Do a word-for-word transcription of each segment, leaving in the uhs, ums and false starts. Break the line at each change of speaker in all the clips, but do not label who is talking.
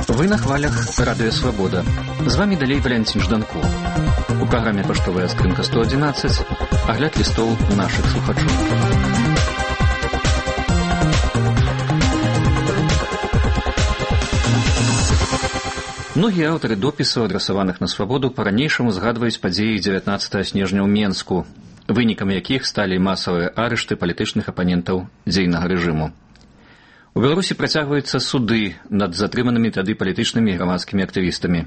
Вы на хвалях Радио Свобода. З вами далей Валентин Жданко. У программе «Поштовая скринка сто одиннадцать» огляд листов наших слухачов. Многія аўтары допісаў, адрасаваных на свабоду, па-ранейшаму згадваюць падзеі дзевятнаццатага снежня ў Менску, вынікам якіх сталі масавыя арышты палітычных апанентаў дзейнага рэжыму. У Беларусі працягваюцца суды над затрыманымі тады палітычнымі і грамадскімі актывістамі.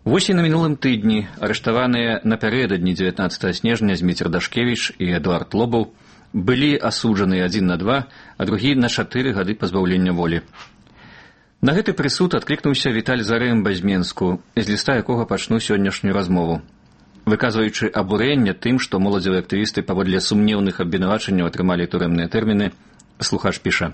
Вось і на мінулым тыдні арыштаваныя напярэдадні дзевятнаццатага снежня Зміцер Дашкевіч і Эдуард Лобаў былі асуджаны адзін на два, а другі на чатыры гады пазбаўлення волі. На гэты прысуд адклікнуўся Віталь Зарэмба з Менску, з ліста якога пачну сённяшнюю размову. Выказваючы абурэнне тым, што моладзевыя актывісты паводле сумнеўных абвінавачанняў атрымалі турэмныя тэрміны, слухач піша: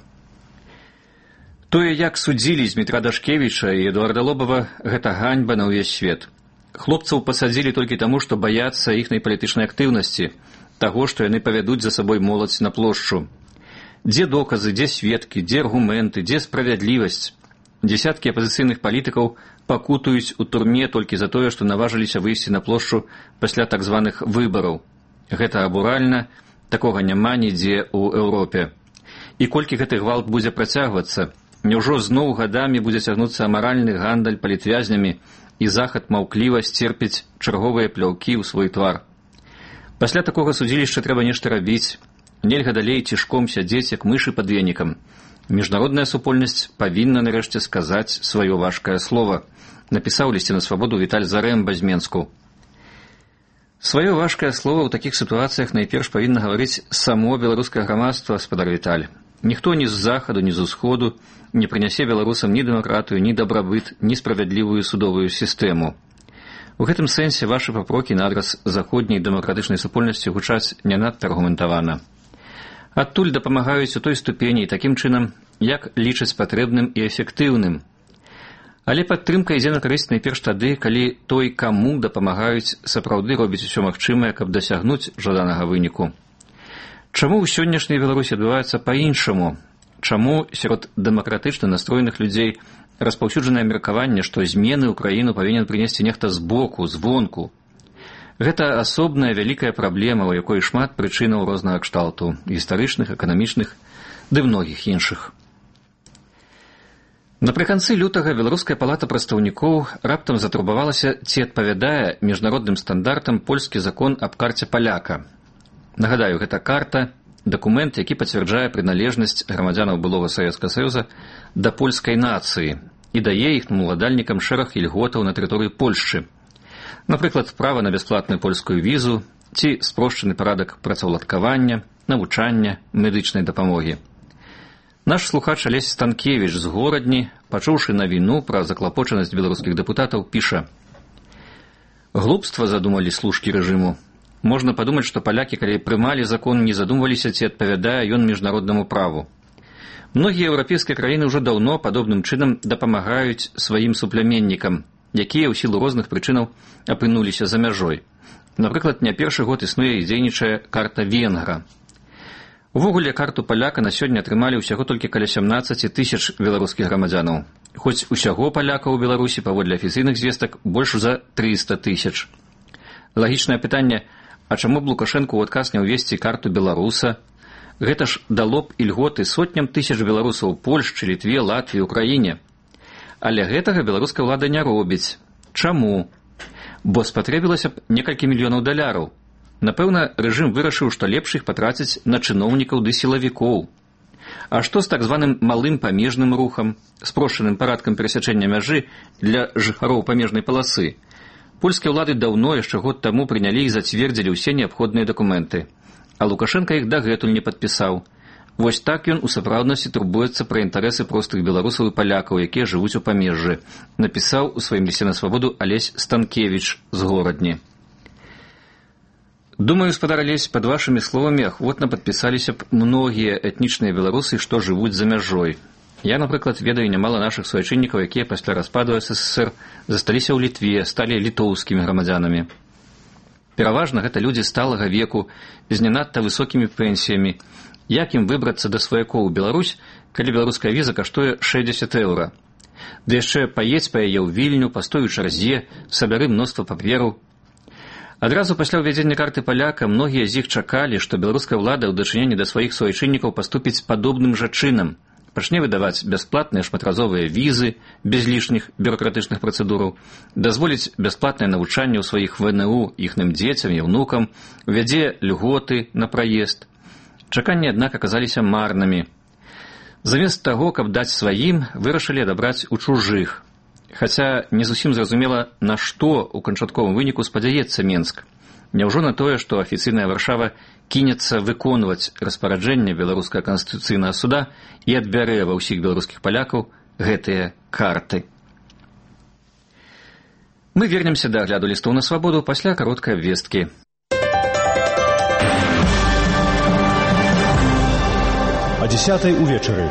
«Тое, як судзілі Змітра Дашкевіча і Эдуарда Лобава, гэта ганьба на ўвесь свет. Хлопцаў пасадзілі толькі таму, што баяцца іхнай палітычнай актыўнасці, таго, што яны павядуць за сабой моладзь на плошчу. Дзе доказы, дзе сведкі, дзе аргументы, дзе справядлівасць? Дзесяткі апазіцыйных палітыкаў пакутуюць у турме толькі за тое, што наважыліся выйсці на плошчу пасля так званых выбараў. Гэта абуральна, такога няма нідзе ў Еўропе. І колькі гэты гвалт будзе працягвацца, няўжо зноў гадамі будзе цягнуцца амаральны гандаль палітвязнямі і захад маўкліва сцерпіць чарговыя пляўкі ў свой твар. Пасля такога судзілішча трэба нешта рабіць. Нельга далей цішком сядзець, як мышы пад венікам. Міжнародная супольнасць павінна нарэшце сказаць сваё важкае слова», напісаў лісце на свабоду Віталь Зарэмба з Менску. Сваё важкае слова ў такіх сітуацыях найперш павінна гаварыць само беларускае грамадства, спадар Віталь. Ніхто ні з захаду, ні з усходу не прынясе беларусам ні дэмакратыю, ні дабрабыт, ні справядлівую судовую сістэму. У гэтым сэнсе вашы папрокі на адрас заходняй дэмакратычнай супольнасці гучаць не надта аргументавана. Адтуль дапамагаюць у той ступені і такім чынам, як лічаць патрэбным і эфектыўным. Але падтрымка ідзе на карысць найперш тады, калі той, каму дапамагаюць, сапраўды робіць усё магчымае, каб дасягнуць жаданага выніку. Чаму ў сённяшняй Беларусі адбываецца па-іншаму? Чаму сярод дэмакратычна настроеных людзей распаўсюджанае меркаванне, што змены ў краіну павінен прынесці нехта збоку, звонку? Гэта асобная вялікая праблема, у якой шмат прычынаў рознага кшталту, гістарычных, эканамічных, ды многіх іншых. Напрыканцы лютага Беларуская палата прадстаўнікоў раптам затурбавалася, ці адпавядае міжнародным стандартам польскі закон аб карце паляка. Нагадаю, гэта карта, дакумент, які пацвярджае прыналежнасць грамадзянаў былога Савецкага Саюза да польскай нацыі і дае іхнім уладальнікам шэраг ільготаў на тэрыторыі Польшчы. Напрыклад, права на бясплатную польскую візу ці спрошчаны парадак працаўладкавання, навучання, медычнай дапамогі. Наш слухач Алесь Станкевіч з Горадні, пачуўшы навіну пра заклапочанасць беларускіх дэпутатаў, піша: «Глупства задумалі служкі рэжыму. Можна падумаць, што палякі, калі прымалі закон, не задумваліся, ці адпавядае ён міжнароднаму праву. Многія еўрапейскія краіны ўжо даўно падобным чынам дапамагаюць сваім суплеменнікам, якія ў сілу розных прычынаў апынуліся за мяжой. Напрыклад, не першы год існуе і дзейнічае карта венгра. Увогуле, карту паляка на сёння атрымалі ўсяго толькі каля сямнаццаць тысяч беларускіх грамадзянаў. Хоць усяго палякаў у Беларусі паводле афіцыйных звестак больш за трыста тысяч. Лагічнае пытанне: а чаму б Лукашэнку ў адказ не ўвесці карту беларуса? Гэта ж дало б ільготы сотням тысяч беларусаў у Польшчы, Літве, Латвіі, Украіне. Але гэтага беларуская ўлада не робіць. Чаму? Бо спатрэбілася б некалькі мільёнаў даляраў. Напэўна, рэжым вырашыў, што лепш іх патраціць на чыноўнікаў ды сілавікоў. А што з так званым малым памежным рухам, спрошчаным парадкам перасячэння мяжы для жыхароў памежнай паласы? Польскія ўлады даўно, яшчэ год таму, прынялі і зацвердзілі ўсе неабходныя дакументы. А Лукашенка іх дагэтуль не падпісаў. Вось так ён у сапраўднасці турбуецца пра інтарэсы простых беларусаў і палякаў, якія жывуць у памежжы, напісаў у сваім лісце на свабоду Алесь Станкевіч з Горадні. Думаю, спадар Алесь, пад вашымі словамі ахвотна падпісаліся б многія этнічныя беларусы, што жывуць за мяжой. Я, напрыклад, ведаю нямала нашых суайчыннікаў, якія пасля распаду СССР засталіся ў Літве, сталі літоўскімі грамадзянамі. Пераважна гэта людзі сталага веку, з не надта высокімі пенсіямі, як ім выбрацца да сваякоў у Беларусь, калі беларуская віза каштуе шэсцьдзесят еўра. Ды яшчэ паедзь па яе ў Вільню, пастой у чарзе, сабяры мноства папераў. Адразу пасля ўвядзення карты паляка многія з іх чакалі, што беларуская ўлада ў дачыненні да сваіх суайчыннікаў паступіць падобным жа чынам. Пачне выдаваць бясплатныя шматразовыя візы без лішніх бюракратычных працэдураў, дазволіць бясплатнае навучанне ў сваіх ВНУ іхным дзецям і ўнукам, увядзе льготы на праезд. Чаканні, аднак, аказаліся марнымі. Замест таго, каб даць сваім, вырашылі адабраць у чужых. Хаця не зусім зразумела, на што ў канчатковым выніку спадзяецца Менск. Няўжо на тое, што афіцыйная Варшава кінецца выконваць распараджэнне беларускага канстытуцыйнага суда і адбярэ ва ўсіх беларускіх палякаў гэтыя карты. Мы вернемся да агляду лістоў на свабоду пасля кароткай абвесткі.
О дзесятай увечары.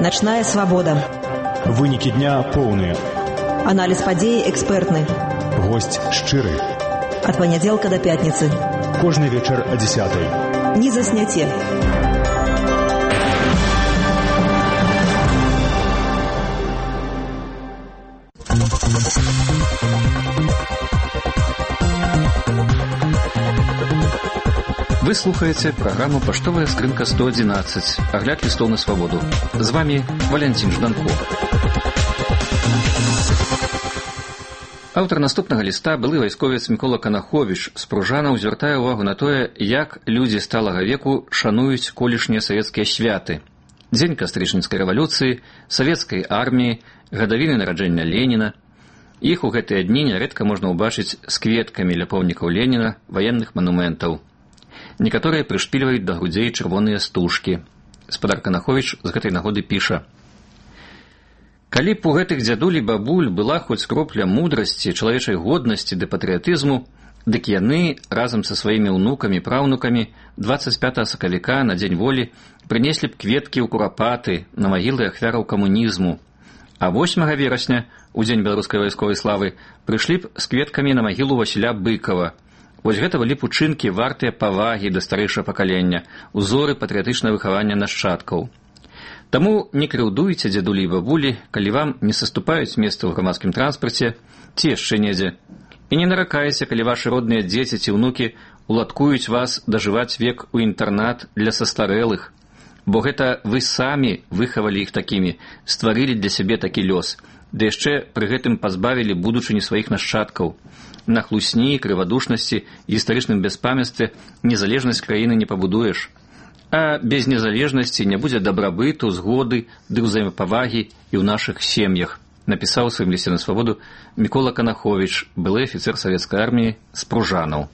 Начная свабода.
Вынікі дня поўныя.
Аналіз падзеі экспертны.
Госць шчыры.
Ад панядзелка да пятніцы.
Кожны вечар о дзесятай.
Не засняце.
Вы слухаеце праграму «Паштовая скрынка сто адзінаццаць», агляд лістоў на свабоду. З вами Валянцін Жданко. Аўтар наступнага ліста, былы вайсковец Мікола Канаховіч з Пружанаў, звяртае ўвагу на тое, як людзі сталага веку шануюць колішнія савецкія святы. Дзень кастрычніцкай рэвалюцыі, савецкай арміі, гадавіны нараджэння Леніна. Іх у гэтыя дні нярэдка можна ўбачыць з кветкамі ля помнікаў Леніна, ваенных манументаў. Некаторыя прышпільваюць да грудзей чырвоныя стужкі. Спадар Канаховіч з гэтай нагоды піша: «Калі б у гэтых дзядуль і бабуль была хоць кропля мудрасці, чалавечай годнасці ды патрыятызму, дык яны разам са сваімі ўнукамі і праўнукамі дваццаць пятага сакавіка на дзень волі прынеслі б кветкі ў курапаты на магілы ахвяраў камунізму, а восьмага верасня, у дзень беларускай вайсковай славы, прыйшлі б з кветкамі на магілу Васіля Быкава. Вось гэта былі б учынкі вартыя павагі да старэйшага пакалення, узоры патрыятычнага выхавання нашчадкаў. Таму не крыўдуйце, дзядулі і бабулі, калі вам не саступаюць месца ў грамадскім транспарце ці яшчэ недзе. І не наракайце, калі вашы родныя дзеці ці ўнукі уладкуюць вас дажываць век у інтэрнат для састарэлых, бо гэта вы самі выхавалі іх такімі, стварылі для сябе такі лёс, ды яшчэ пры гэтым пазбавілі будучыні сваіх нашчадкаў. На хлусні, крывадушнасці, гістарычным бяспамяцтве незалежнасць краіны не пабудуеш. А без незалежнасці не будзе дабрабыту, згоды ды ўзаемапавагі і ў нашых сем'ях, напісаў у сваім лісце на свабоду Мікола Канаховіч, былы афіцэр савецкай арміі з Пружанаў.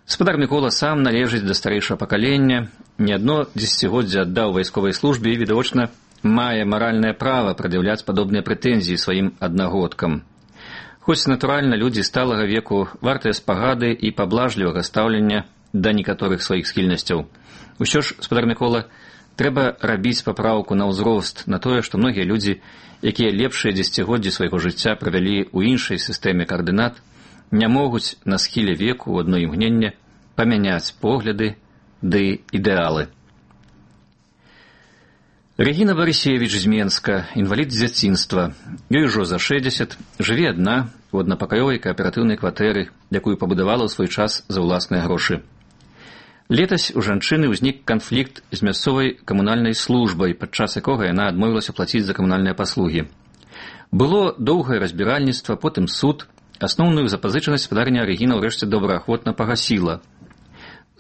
Спадар Мікола сам належыць да старэйшага пакалення, не адно дзесяцігоддзе аддаў вайсковай службе і, відавочна, мае маральнае права прад'яўляць падобныя прэтэнзіі сваім аднагодкам. Хоць, натуральна, людзі сталага веку вартыя спагады і паблажлівага стаўлення да некаторых сваіх схільнасцяў. Усё ж, спадар Мікола, трэба рабіць папраўку на ўзрост, на тое, што многія людзі, якія лепшыя дзесяцігоддзі свайго жыцця правялі ў іншай сістэме каардынат, не могуць на схіле веку ў адно імгненне памяняць погляды ды ідэалы. Рэгіна Барысевіч з Менска, інвалід з дзяцінства. Ёй ужо за шэсцьдзесят, жыве адна у аднапакаёвай кааператыўнай кватэры, якую пабудавала ў свой час за ўласныя грошы. Летась у жанчыны ўзнік канфлікт з мясцовай камунальнай службай, падчас якога яна адмовілася плаціць за камунальныя паслугі. Было доўгае разбіральніцтва, потым суд. Асноўную запазычанасць спадарня Рэгіна ўрэшце добраахвотна пагасіла.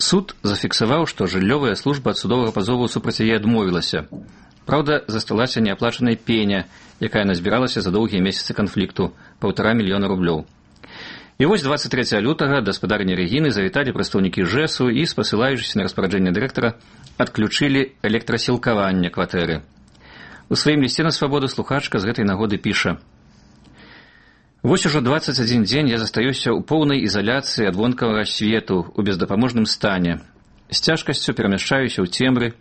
Суд зафіксаваў, што жыллёвая служба ад судовага пазову супраць яе адмовілася. Праўда, засталася неаплачаная пеня, якая назбіралася за доўгія месяцы канфлікту, паўтара мільёна рублёў. І вось дваццаць трэцяга лютага да спадарні Рэгіны завіталі прадстаўнікі ЖЭСу і, спасылаючыся на распараджэнне дырэктара, адключылі электрасілкаванне кватэры. У сваім лісце на свабоду слухачка з гэтай нагоды піша: «Вось ужо дваццаць адзін дзень я застаюся ў поўнай ізаляцыі ад вонкавага свету ў бездапаможным стане. З цяжкасцю перамяшчаюся ў цемры.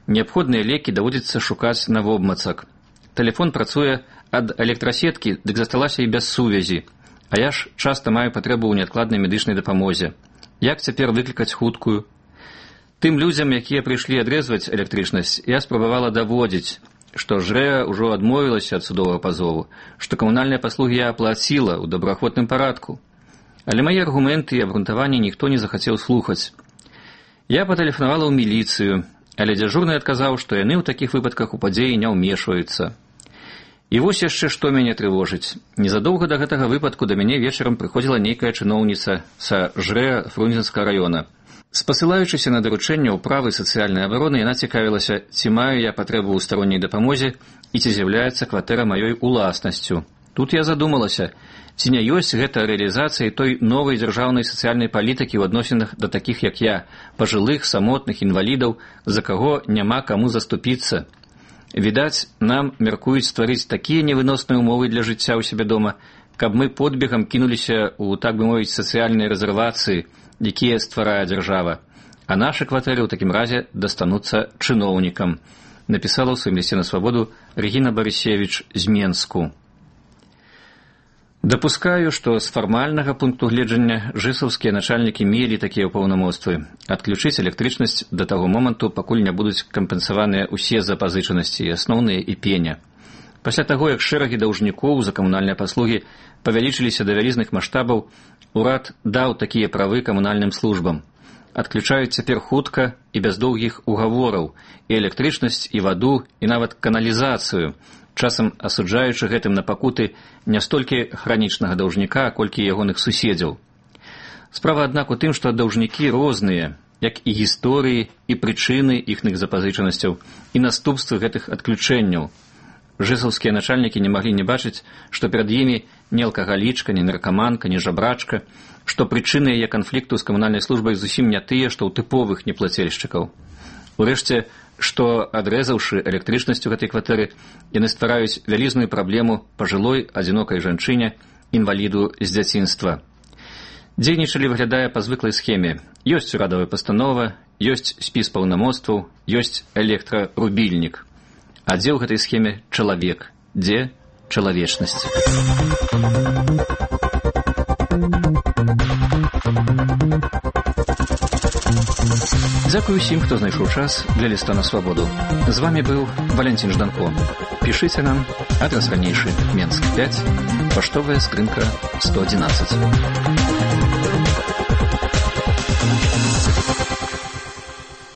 Неабходныя лекі даводзіцца шукаць навобмацак. Тэлефон працуе ад электрасеткі, дык засталася і без сувязі. А я ж часта маю патрэбу ў неадкладнай медычнай дапамозе. Як цяпер выклікаць хуткую? Тым людзям, якія прыйшлі адрэзваць электрычнасць, я спрабавала даводзіць, што ЖРЭА ўжо адмовілася ад судовага пазову, што камунальныя паслугі я аплаціла ў добраахвотным парадку. Але мае аргументы і абгрунтаванні ніхто не захацеў слухаць. Я патэлефанавала ў міліцыю, але дзяжурны адказаў, што яны ў такіх выпадках у падзеі не ўмешваюцца. І вось яшчэ што мяне трывожыць. Незадоўга да гэтага выпадку да мяне вечарам прыходзіла нейкая чыноўніца са ЖРЭА Фрунзенскага раёна. Спасылаючыся на даручэнне ўправы сацыяльнай абароны, яна цікавілася, ці маю я патрэбу ў старонняй дапамозе і ці з'яўляецца кватэра маёй уласнасцю. Тут я задумалася, ці не ёсць гэта рэалізацыяй той новай дзяржаўнай сацыяльнай палітыкі ў адносінах да такіх, як я, пажылых, самотных, інвалідаў, за каго няма каму заступіцца. Відаць, нам мяркуюць стварыць такія невыносныя ўмовы для жыцця ў сябе дома, каб мы подбегам кінуліся ў, так бы мовіць, сацыяльнай рэзервацыі, якія стварае дзяржава. А нашы кватэры ў такім разе дастануцца чыноўнікам, напісала ў сваім лісце на свабоду Рэгіна Барысевіч з Менску. Дапускаю, што з фармальнага пункту гледжання жысаўскія начальнікі мелі такія паўнамоцтвы адключыць электрычнасць да таго моманту, пакуль не будуць кампенсаваныя ўсе запазычанасці, асноўныя і пеня. Пасля таго, як шэрагі даўжнікоў за камунальныя паслугі павялічыліся да вялізных маштабаў, урад даў такія правы камунальным службам. Адключаюць цяпер хутка і без доўгіх угавораў і электрычнасць, і ваду, і нават каналізацыю, часам асуджаючы гэтым на пакуты не столькі хранічнага даўжніка, колькі ягоных суседзяў. Справа, аднак, у тым, што даўжнікі розныя, як і гісторыі, і прычыны іхных запазычанасцяў, і наступствы гэтых адключэнняў. Жысаўскія начальнікі не маглі не бачыць, што перад імі не алкагалічка, не наркаманка, не жабрачка, што прычыны яе канфлікту з камунальнай службай зусім не тыя, што ў тыповых неплацельшчыкаў. Урэшце, што, адрэзаўшы электрычнасць у гэтай кватэры, яны ствараюць вялізную праблему пажылой адзінокай жанчыне, інваліду з дзяцінства. Дзейнічалі, выглядае па звыклай схеме. Ёсць урадавая пастанова, ёсць спіс паўнамоцтваў, ёсць электрарубільнік. А дзе ў гэтай схеме чалавек? Дзе чалавечнасць? Дзякую ўсім, хто знайшоў час для ліста на свабоду. З вами быў Валянцін Жданко. Пішыце нам, адрас ранейшы, Менск пяць, паштовая скрынка сто адзінаццаць.